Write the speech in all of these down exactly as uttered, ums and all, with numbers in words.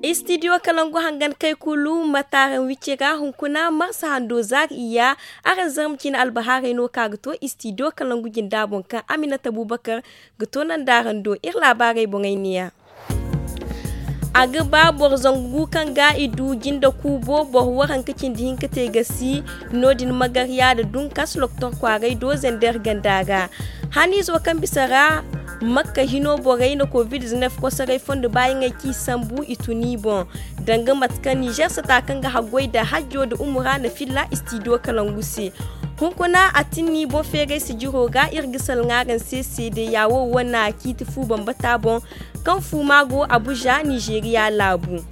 Istidiyo kalangu hangan kay kulu mataaraŋ wicce ga hunkuna marsa hando zaari iyya. Araŋ zarma cine albahaarey no ka ga to istidiyo kalangu jinda boŋ kaŋ aminata bubakar ga to nand'araŋ do iri laabaarey boŋey neeya. A ga ba boro zangu gu kaŋ ga i du jinde kuubo boro waranka cindi hinka te ga si. No- din magarya nda dunkas loktor kwaaray do zander ganda ra. Haniizo kaŋ bisa ra makka hino borey na covid kosaray fondo baayaŋey kaŋ i sambu i tun i boŋ. Danga mate kaŋ nizer sata kaŋ ga haggoy nda hajjo nda umura na filla istidiyo kalangu se. Hunkuna a tin ni boŋ feeray sijiro ga iri ga salŋa araŋ se seede ya wo wane ciiti fu bambata boŋ kaŋ fu ma go abuja nizeriya laabu.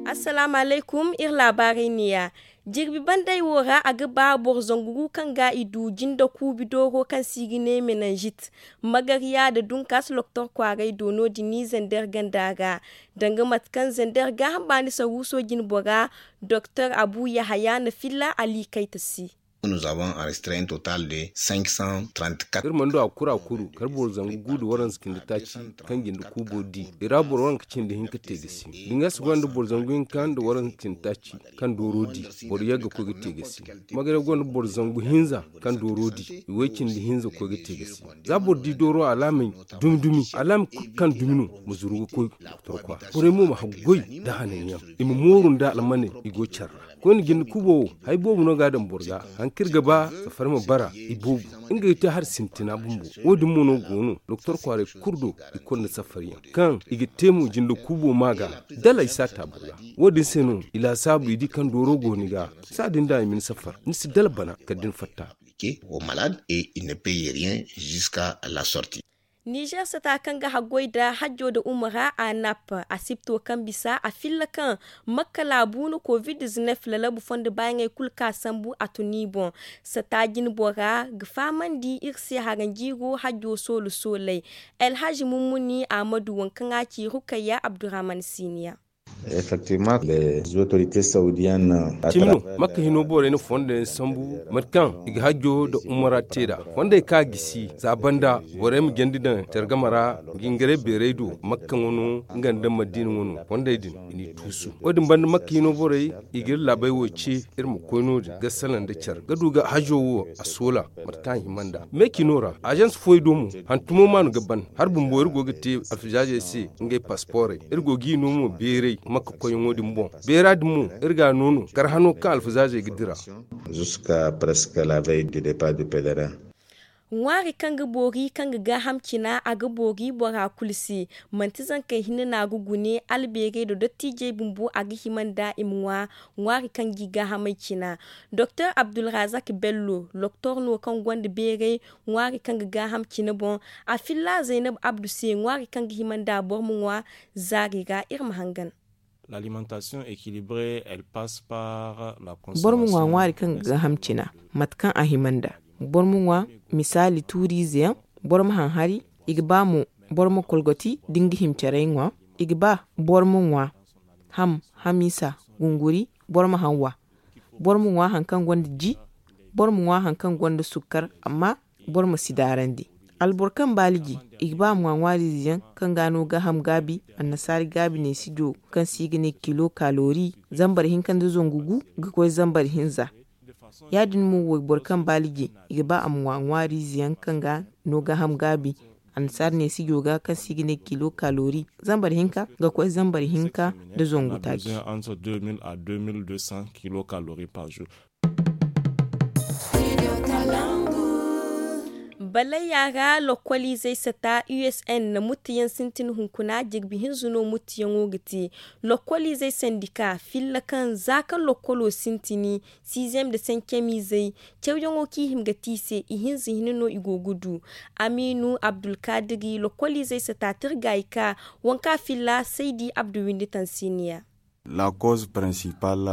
Assalaamu alaykum iri laabaarey neeya. Jirbi banday wo ra a ga ba boro zangu gu kaŋ ga i du jinde kuubi dooro kaŋ se i ga ne menanzit, magariya nda dunkas loktor kwaaray do no- din zander ganda ra. Danga mate kaŋ zander gaaham baani saruuso jinbora doktor abu yahaya na filla ali kayta se. Iri mana du a kuru a kuru kala boro zangu gu nda waranza cindi taaci kaŋ jinde kuubo di i ra boro waranka cindi hinka te ga si. Dinga si gonda boro zangu hinka nda waranza cindi taaci kaŋ dooro di boro yagga koy ga te ga si. Magare gonda boro zangu hinza kaŋ dooro di i way cindi hinza koy ga te ga si. Za boro di dooro alaamey dumi dumi alaama kulu kaŋ dumi no ma zuru ga koy. Borey mo ma haggoy nda hananyaŋ i ma mooru nda almaney i go care ra. Koyne jinde kuubo wo hari boobo no ga a daŋ boro ga. Hari kaŋ iri ga ba safari ma bara i boobo ngey ga te hari sintina bumbo. Wo- din mo no go no doktor kwaaray kulu do i konda safariyaŋ kaŋ i ga te mo jinde kuubo ma ga dala i si a ta boro ga. Wo- din se no i laasaabu i di kaŋ dooro go ni ga. Saadin da i ma ni safar ni si dala bana kala da ni fatta. Nizer sata kaŋ ga haggoy nda hajjo nda umura a nap asipto kaŋ bisa a filla kaŋ makka laabu na covid lalabu fondo baayaŋey kulu kaŋ a sambu a tun i boŋ. Sata jinbora ga fahamandi iri se haranjiiro hajjo soolu sooley. Alhazi mummuni ahmadu waŋ kaŋ a ci rukayya abdurrahman siiniya. Cimi no makka hino borey na fondo yaŋ sambu mate kaŋ i ga hajjo nda umara te nd'a. Fondey kaŋ a gisi za banda borey ma jandi daŋ care game ra jingaray beeray do makka wano nga nda madiina wano fondey din i n'i tuusu. Wo- din banda makka hino borey i ga iri laabey wo ce iri ma koy no- din ga salaŋ nda care ga du ga hajjo wo a soola. Mate kaŋ a hima nd'a meeki no ra azans fooyaŋ do mo hantumo maanu ga ban hari bumbo iri go ga te alfizaazey se ngey pasporey iri go g'i no mo beeray makka koyyaŋo din boŋ. Beera din mo iri ga a no no kar hano kaŋ alfizaazey ga dira. Ŋwaari kaŋ ga boori kaŋ ga gaaham cina a ga boori bora kulu se. Manti zankey hinne no a ga gune albeerey nda dottiijey bumbo a ga hima nd'a i ma ŋwa ŋwaari kaŋ g'i gaahamey cina. Doktor abdulrazak bello loktor no kaŋ gonda beeray ŋwaari kaŋ ga gaaham cina boŋ. A filla zaynab abdu se ŋwaari kaŋ ga hima nd'a boro ma ŋwa zaari ra iri ma hangan. Boro ma ŋwa ŋwaari kaŋ ga gaaham cina mate kaŋ a hima nd'a. Boro ma ŋwa misaali tuuriize yaŋ. Boro ma haŋ hari i ga ba mo boro ma kolgoti da nga hima caray ŋwa. I ga ba boro ma ŋwa ham hamiisa gunguri. Boro ma haŋ wa boro ma ŋwa hari kaŋ gonda ji. Boro ma ŋwa hari kaŋ gonda sukkar amma boro ma si daarandi. Alboro kaŋ baaliji i ga ba a ma ŋwa ŋwaariize yaŋ kaŋ ga no gaaham gaabi. Annasaari gaabi neesijo kaŋ se i ga ne kilo kaloori zambar hinka nda zangu gu ga koy zambar hinza. Ya- din mo wayboro kaŋ baaliji i ga ba a ma ŋwa ŋwaariize yaŋ kaŋ ga no gaaham gaabi. Annasaari neesijo ga kaŋ se i ga ne kilo kaloori zambar hinka ga koy zambar hinka nda zangu taaci. Balayya ra lokkoliizey sata usn na muttuyaŋ sintin hunkuna jirbi hinza no muttuyaŋo ga te. Lokkoliizey sandika filla kaŋ za kaŋ lokkolo sintini sizyem nda sencemiizey cawyaŋo kaŋ i hima ga te i se ihinza hinne no i go ga du. Amiinu abdulkadiri lokkoliizey sata tirgaayi ka waŋ kaŋ a filla saydi abdu windi tansiniya. La cause principale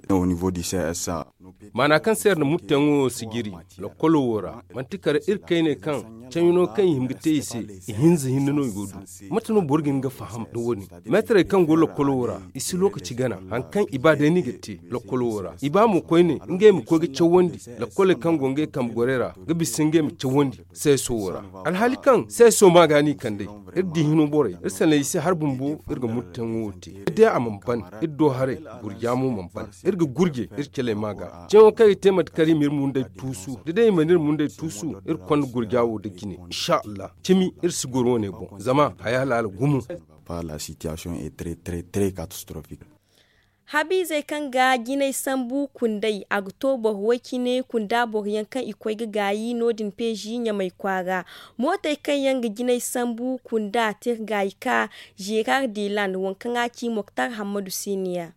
au niveau du csa. Maana kaŋ se iri na mutteyaŋo wo sijiri lakkolo wo ra, manti kala iri kayne kaŋ caɲo no kaŋ i hima ga te i se, i hinza hinne no i go du. Mate no boro ga hin ga faham nda wo- din? Meetarey kaŋ go lakkolo wo ra, i si lookaci gana hari kaŋ i ba day no i ga te lakkolo wo ra. I ba mo koyne ngey ma koy ga cawandi lakkoley kaŋ go ngey kambe gorey ra, ga bisa ngey ma cawandi seeso wo ra. Alhaali kaŋ seeso ma ga no i kand'ey, iri di hino borey, iri sanda i se hari bumbo. Iri ga mutteyaŋo wo te, iri di a mana ban. Iri do haray, gurja mo mana ban. Iri ga gurje iri caley ma ga. Ceeyaŋo kaŋ i te mate kaŋ iri ma iri mundey tuusu, da day i mana iri mundey tuusu, iri konda gurja wo nda jine, insa allah. Cimi iri si goro wane boŋ, zama haya laala gumo. Par la situation est très très très catastrophique. Habiizey kaŋ ga jinay sambu kunday, a ga to boro way cine kunda boro yaŋ kaŋ i koy ga gaayi no- din peezi ɲamay kwaara. Mootey kaŋ yaŋ ga jinay sambu kunda te iri gaayi ka, zerar de land, waŋ kaŋ a ci moktar hammadu se ne- ya.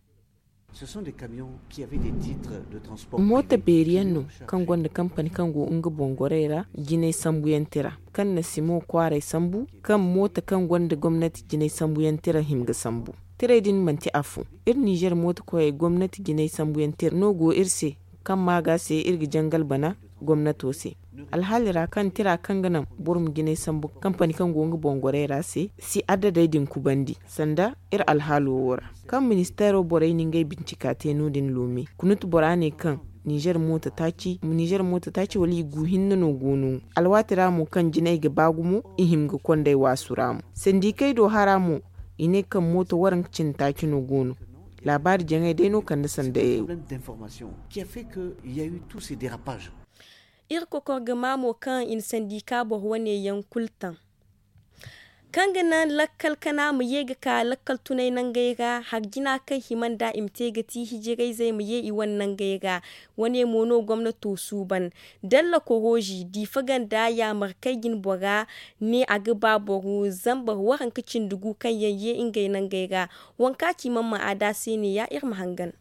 Moota beeri yaŋ no kaŋ gonda kampani kaŋ go nga boŋ gorey ra, jinay sambu yaŋ tira, kaŋ na simo kwaaray sambu, kaŋ moota kaŋ gonda gomnati jinay sambu yaŋ tira hima ga sambu. Tiray din manti afo. Iri nizer moota koyey gomnati jinay sambu yaŋ tira no go iri se, kaŋ maaga se iri ga jangal bana gomnato se. Alhaali ra kaŋ tira kaŋ ga naŋ boro ma jinay sambu kampani kaŋ go nga boŋ gorey ra se, si adadey din kubandi sanda iri alhaalo wo ra. Kaŋ ministeero borey na ngey bincika te no- din loome, kunutu bora ne kaŋ nizer moota taaci wala i gu hinne no go no. Alwaati ra mo kaŋ jinay ga ba gumo, i hima ga konday waasu ra mo. Sandikey do hara mo, i ne kaŋ mooto waranka cindi taaci no go no. Laabaari jaŋay day no kande sandayey wo. Iri kokor ga ma mo kaŋ i na sandika boro wane yaŋ kulu taŋ, kaŋ ga naŋ lakkal kana ma ye ga ka lakkal tunay nangey ra. Hari jina kaŋ hima nd'a i ma te ga ti hijirayzey ma ye i wane nangey ra. Wane mo no gomnato suuban, dalla koroozi diifa ganda yaamarkey jine bora ne a ga ba boro zambar waranka cindi gu kaŋ yaŋ ye ngey nangey ra. Waŋ kaŋ a ci mamma aada se ne- ya iri ma hangan.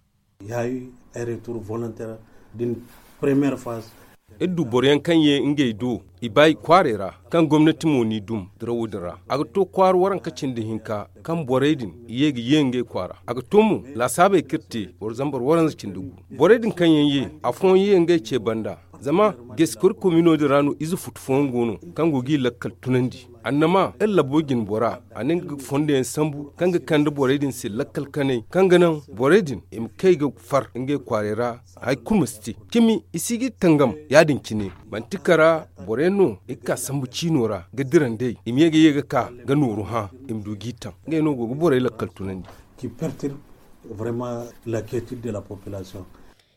Iri du boro yaŋ kaŋ ye ngey do i bay kwaaray ra, kaŋ gomnati mo n'i dum dirawo din ra. A ga to kwaara waranka cindi hinka kaŋ borey din i ye ga ye ngey kwaara. A ga to mo laasaabey kaŋ iri te boro zambar waranza cindi gu. Borey din kaŋ yaŋ ye, afooyaŋ ye ngey ce banda. Zama geesikori komino din ra no ize futu fooyaŋ go no, kaŋ go g'i lakkal tunandi. Annama iri labo jine bora, a na nga fondo yaŋ sambu kaŋ ga kande borey din se lakkal kanay kaŋ ga naŋ borey din i ma kay ga far ngey kwaaray ra. Hari kulu ma si te, cimi i si g'i tangam. Ya- din cine, manti kara borey no i ga ka sambu ciino ra ga dira nd'ey i ma ye ga ye ga ka ga nooru hã, i ma du g'i taŋ. Ngey no go ga borey lakkal tunandi.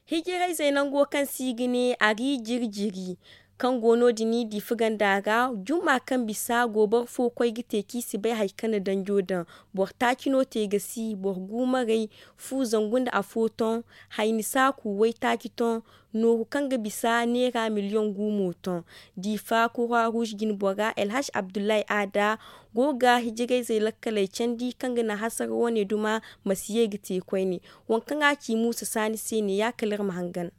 Hijirayzey nango kaŋ se i ga ne a ga i jiri-jiri, kaŋ go no- din diifa ganda ra, jumma kaŋ bisa gooboro fo koy ga te kaŋ i si bay hari kaŋ na danjo daŋ. Boro taaci no te ga si boro guumaray, fu zangu nda afo ton, hayni saaku waytaaci ton, nooru kaŋ ga bisa neera miliyoŋ gu mo ton. Diifa kurwa ruuz jine bora elhaj abdullahi aada go ga hijirayzey lakkaley candi kaŋ ga naŋ hasara wane duma ma si ye ga te koyne. Waŋ kaŋ a ci muusa saani se ne- ya kala iri ma hangan.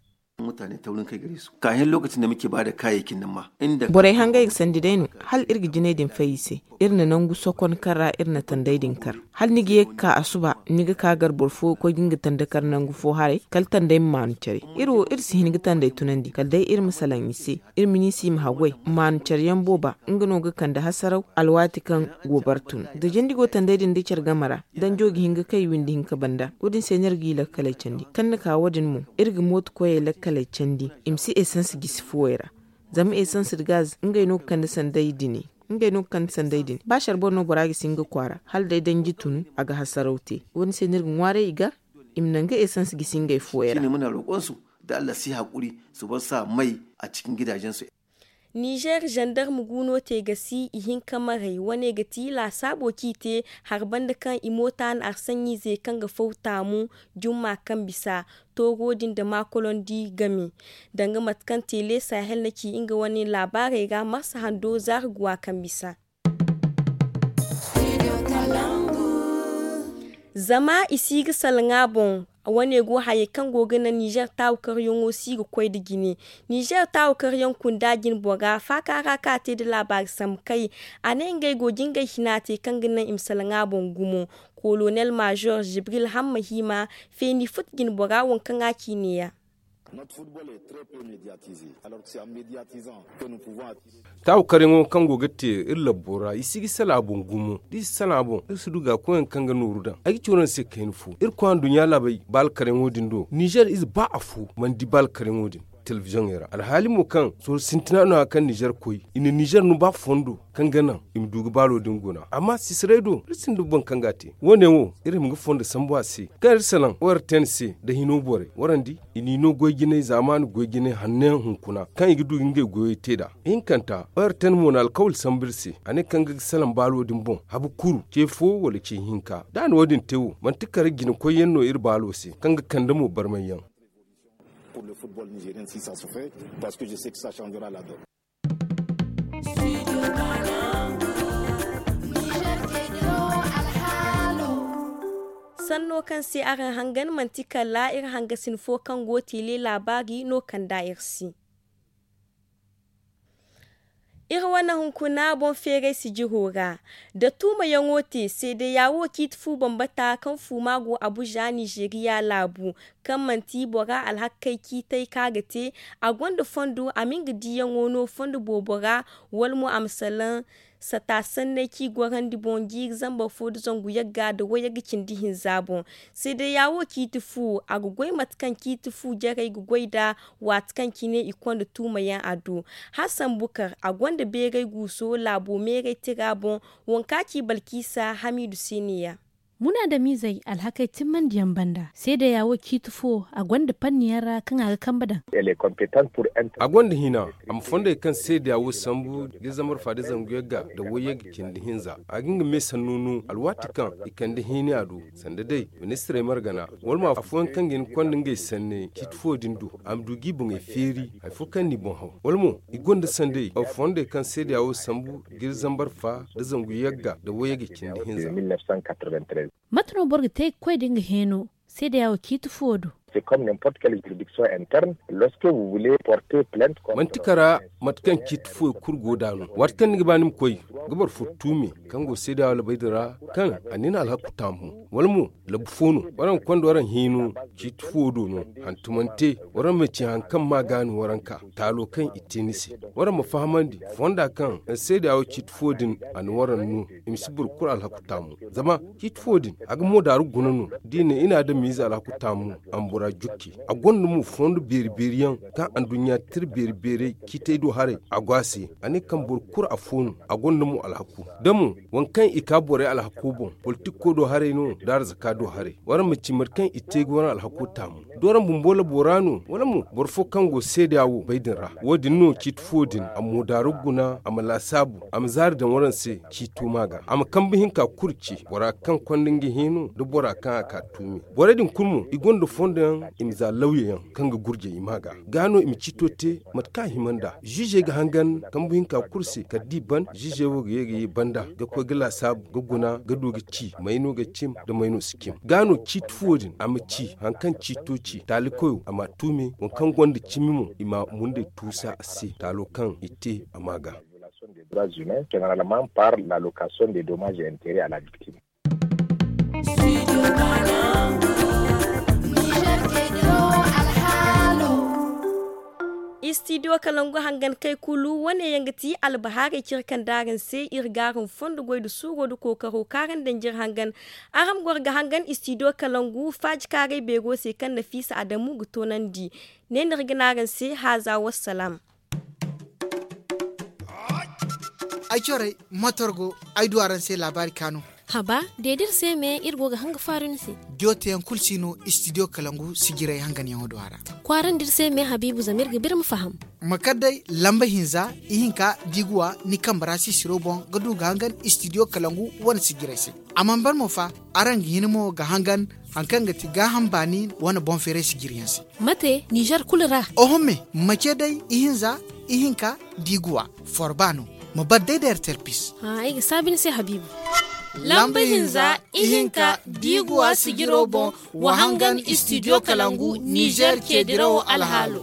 Borey hangey ga sandi day no, hala iri ga jinay din fay i se. Iri na nangu sokon kaŋ ra iri na tanday din kar, hala ni ga ye ga ka asuba, ni ga ka gar boro fo ga koy ga nga tanda kar nangu fo haray kala tanday ma maanu care. Iri wo iri si hin ga tanday tunandi kala day iri ma salaŋ i se. Iri ma ni si i ma haggoy maanu care yaŋ booba, nga no ga kande hasaraw. Alwaati kaŋ goobara tun da jandi go tanday din da care game ra, danjo ga hin ga kay windi hinka banda. Wo- din se no iri ga i lakkaley candi kaŋ ni ka wo- din mo, iri ga mooto koyey lakkaley candi, i ma si esans gisi fuwey ra. Zama esans nda gaz ngey no ga kande sanday dini. Ngey no ga kande sanday dini ba sarboro no bora gisi nga kwaara hala day danji tun, a ga hasaraw te. Wo- din se no iri ga ŋwaaray i ga i ma naŋ ga esans gisi ngey fuwey ra. Nizer zandarma gu no te ga si ihinka maray wane ga ti laasaabo kaŋ i te, hari banda kaŋ i moota na arsaɲiize kaŋ ga faw taamu jumma kaŋ bisa. Tooro din nda maakolondi game, danga mate kaŋ tele sahel na ci nga wane laabaarey ra marsa hando zaari guwa kaŋ bisa. Zama i si ga salaŋ a boŋ. Wane go hayey kaŋ go ga naŋ nizer taawakaryaŋo si ga koy nda jine. Nizer taawakaryaŋ kunda jine bora faaka ra kaŋ a te nda laabaari sambu kay. A ne ngey go jingay hina te kaŋ ga naŋ i ma salaŋ a boŋ gumo. Kolonel mazer jibril hamma hima feeni futu jine bora waŋ kaŋ a ci neeya. Taawu karyaŋo kaŋ go ga te iri labbo ra i si ga salaŋ a boŋ gumo da i si salaŋ a boŋ iri si du ga koyyaŋ kaŋ ga nooru daŋ ay ga ci waraŋ se kayna fo iri koy anduɲɲa laabey baala karyaŋo din do ninzeer ize ba afo mana di baala karyaŋo din telebiziyoŋey ra alhaali mo kaŋ sohõ sintina no ya kaŋ ninzeer koy i na ninzeer no ba fondo kaŋ ga naŋ i ma du ga baalo din guna amma sisirey do iri sinda boro kaŋ ga a te wo- ne wo iri hima ga fondo sambu a se kaŋ iri salaŋ orten se nda hino borey warandi i n'i no goy jinay zaamaani goy jinay hanno yaŋ hunkuna kaŋ i ga du ga ngey goyey te nd'a ihinkanta orten mo na alkawal sambu iri se a ne kaŋ ga ga salaŋ baalo din boŋ habu kuru ce fo wala ce hinka da a na wo- din te wo manti kare jina koyyaŋ no iri baalo se kaŋ ga kande mo barmay yaŋ. Sanno kaŋ se araŋ hangan manti kala iri hangasin fo kaŋ go tele laabaari no kanda iri se. Iri wane hunkuna boŋ feeray sijiro ra da tuumayaŋo te seedeya wo ciiti fu bambata kaŋ fuuma go abuza nizeeriya laabu kaŋ manti bora alhakkey ciitey kaŋ a ga te a gonda fondo a ma nga diiyaŋo no fondo boobo ra wala mo a ma salaŋ sata sanney kaŋ i gorandi boŋ jiiri zambar fo nda zangu yagga nda wayagga cindi hinza boŋ. Seedeya wo ciiti fu a ga goy mate kaŋ ciiti fu jarey ga goy nd'a waati kaŋ cine i konda tuumayaŋ a do. Hassan bukar a gonda beeray guuso laabo meeray tira boŋ. Waŋ kaŋ a ci balkiisa hamiidu se ne- ya. Munaadamiizey alhakey timmandiyaŋ banda seedeya wo ciiti fo a gonda panniyaŋ ra kaŋ a ga kambe daŋ. A gonda hina a ma fondey kaŋ seedeya wo sambu da zambar fa da zangu yagga nda wayye ga cindi hinza a ga nga me sannu no alwaati kaŋ i kande hiini a do sanda day ministirey margana wala mo afooyaŋ kaŋ ga hin konda ngey sanne ciiti fo din do a ma du ga i boŋey feeri hari fo kaŋ n'i boŋ haw wala mo i gonda sanday aw fondey kaŋ seedeya wo sambu ga iri zambar fa nda zangu yagga nda wayye ga cindi hinza. Mate no boro ga te ga koy da nga heeno seedeya wo ciiti fuwo do? Manti kara mate kaŋ ciiti fuwo kulu go nd'a no waati kaŋ ni ga ba ni ma koy ga boro fo tuumi kaŋ go seedeya wo labay din ra kaŋ a na ni alhaku taamu wala mo labu fo no waraŋ ga konda waraŋ hiino ciiti fuwo do no hantumante waraŋ ma ci hari kaŋ ma ga no waraŋ ka taalo kaŋ i te ni se waraŋ ma fahamandi fonda kaŋ seedeya wo ciiti fuwo din a na waraŋ no i ma si boro kulu alhaku taamu zama ciiti fuwo din a ga moodaaru guna no da i ne i na adamiize alhaku taamu a ma bora jukki a gonda mo fondo beeri beeri yaŋ kaŋ anduɲɲa tira beeri beerey ciitey do haray a go a se a ne kaŋ boro kulu afo no a gonda mo alhaku da mo waŋ kaŋ i ka borey alhako boŋ politik ko do haray no da arzaka do haray waraŋ ma ci mate kaŋ i te ga waraŋ alhako taamu da waraŋ bumbo labo ra no wala mo boro fo kaŋ go seedeya wo bay din ra wo- din no ciiti fuwo din a moodaaru guna a ma laasaabu a ma zaari daŋ waraŋ se ciito ma ga a ma kambe hinka kulu ci bora kaŋ konda nga hino nda bora kaŋ a ka tuumi borey din kulu mo i gonda fondo yaŋ i ma za lawya yaŋ kaŋ ga gurjay i ma ga ga no i ma ciito te mate kaŋ a hima nd'a ziizey ga hangan kambe hinka kulu se kala da i ban ziizey wo ga ye ga ye banda ga koy ga laasaabu ga guna ga du ga ci may no ga cim nda may no si cim ga no ciiti fuwo din a ma ci hari kaŋ ciito ci taalikoyo a ma a tuumi waŋ kaŋ gonda cimi mo i ma mundey tuusa a se taalo kaŋ i te a ma ga. Istidiyo kalangu hangan kay kulu wane yaŋ ga ti albahaarey cire kaŋ daaraŋ se iri ga araŋ fondo goy nda suuro nda kookaro kaaraŋ danjir hangan. Araŋ goro ga hangan istidiyo kalangu faaji kaaray beero se kaŋ nafiisa adamu ga toonandi. Ne no iri ga ne araŋ se haaza wassalaam. Ay corey motor go ay du araŋ se laabaari kaanu. Haba de da iri se me iri go ga hanga faaru ni se. Diyo teyaŋ kulu si no istidiyo kalangu sijirey hanganyaŋo do a ra. Kwaarandi iri se me habiibu zama iri ga biri ma faham. Ma kar day lamba hinza ihinka diiguwa ni kambe ra sisiro boŋ ga du ga hangan istidiyo kalangu wane sijirey se. A mana ban mo fa araŋ ga hin mo ga hangan hari kaŋ ga ti gaaham baani wane boŋ feeray sijiriyaŋ se. Mate nizer kulu ra? Oho me ma ce day ihinza ihinka diiguwa forba no. Ma bar day da ertel pis. Ay ga saabi ni se habiibu. Lamba hinza ihinka diiguwa sijiro boŋ wa hangan istidiyo kalangu nizer ceedirawo alhaalo.